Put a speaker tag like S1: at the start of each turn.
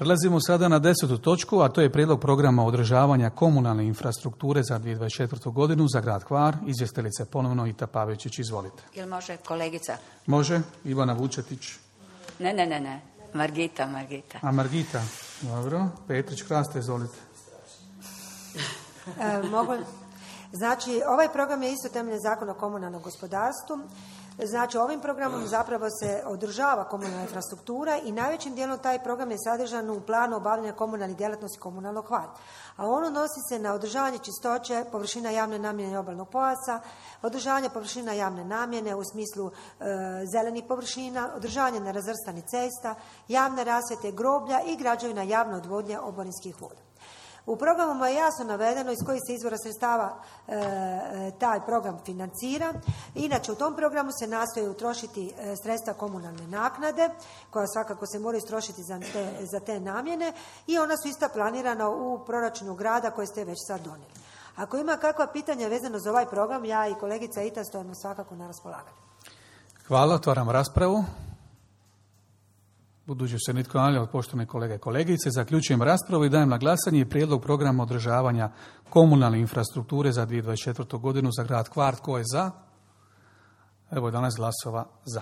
S1: Prelazimo sada na 10. točku, a to je prijedlog programa održavanja komunalne infrastrukture za 2024. godinu za grad Hvar. Izvjestiteljica ponovno Ita Pavičić, izvolite.
S2: Jel može kolegica?
S1: Može, Ivana Vučetić.
S2: Ne. Margita.
S1: A Margita, dobro. Petrić Hrasta, izvolite.
S3: Mogu. Znači, ovaj program je isto temeljem Zakona o komunalnom gospodarstvu. Znači, ovim programom zapravo se održava komunalna infrastruktura i najvećim dijelom taj program je sadržan u planu obavljanja komunalnih djelatnosti komunalnog Hvar. A ono nosi se na održavanje čistoće, površina javne namjene obalnog pojasa, održavanje površina javne namjene u smislu zelenih površina, održavanje nerazvrstanih cesta, javne rasvjete, groblja i građevina javne odvodnje oborinskih voda. U programu je jasno navedeno iz kojih se izvora sredstava taj program financira. Inače, u tom programu se nastoji utrošiti sredstva komunalne naknade, koja svakako se mora istrošiti za te namjene, i ona su isto planirana u proračunu grada koje ste već sad donijeli. Ako ima kakva pitanja vezano za ovaj program, ja i kolegica Ita stojimo svakako na raspolaganju.
S1: Hvala, otvaram raspravu. Budući se nitko ne javlja od poštovane kolege i kolegice, zaključujem raspravu i dajem na glasanje prijedlog programa održavanja komunalne infrastrukture za 2024. godinu za grad Hvar. Tko je za? Evo 11 glasova za.